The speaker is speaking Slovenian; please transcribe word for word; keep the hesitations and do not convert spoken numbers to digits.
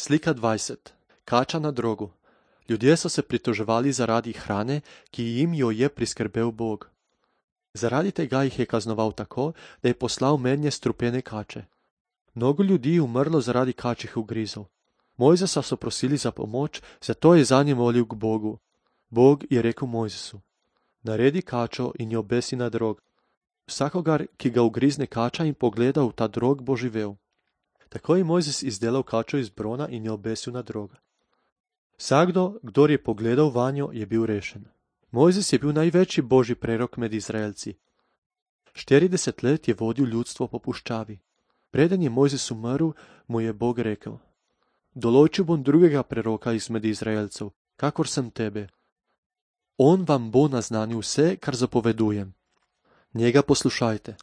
Slika dvajset. Kača na drogu. Ljudje so se pritoževali zaradi hrane, ki jim jo je priskrbel Bog. Zaradi tega jih je kaznoval tako, da je poslal mednje strupene kače. Mnogo ljudi je umrlo zaradi kačjih ugrizov. Mojzesa so prosili za pomoč, zato je zanje molil k Bogu. Bog je rekel Mojzesu: naredi kačo in jo obesi na drog. Vsakogar, ki ga ugrizne kača in pogleda v ta drog, bo živel. Tako je Mojzes izdelal kačo iz brona in jo obesil na drog. Vsakdo, kdor je pogledal vanjo, je bil rešen. Mojzes je bil največji božji prerok med Izraelci. štirideset let je vodil ljudstvo po puščavi. Preden je Mojzes umrl, mu je Bog rekel: določil bom drugega preroka izmed Izraelcev, kakor sem tebe. On vam bo naznanil vse, kar zapovedujem. Njega poslušajte.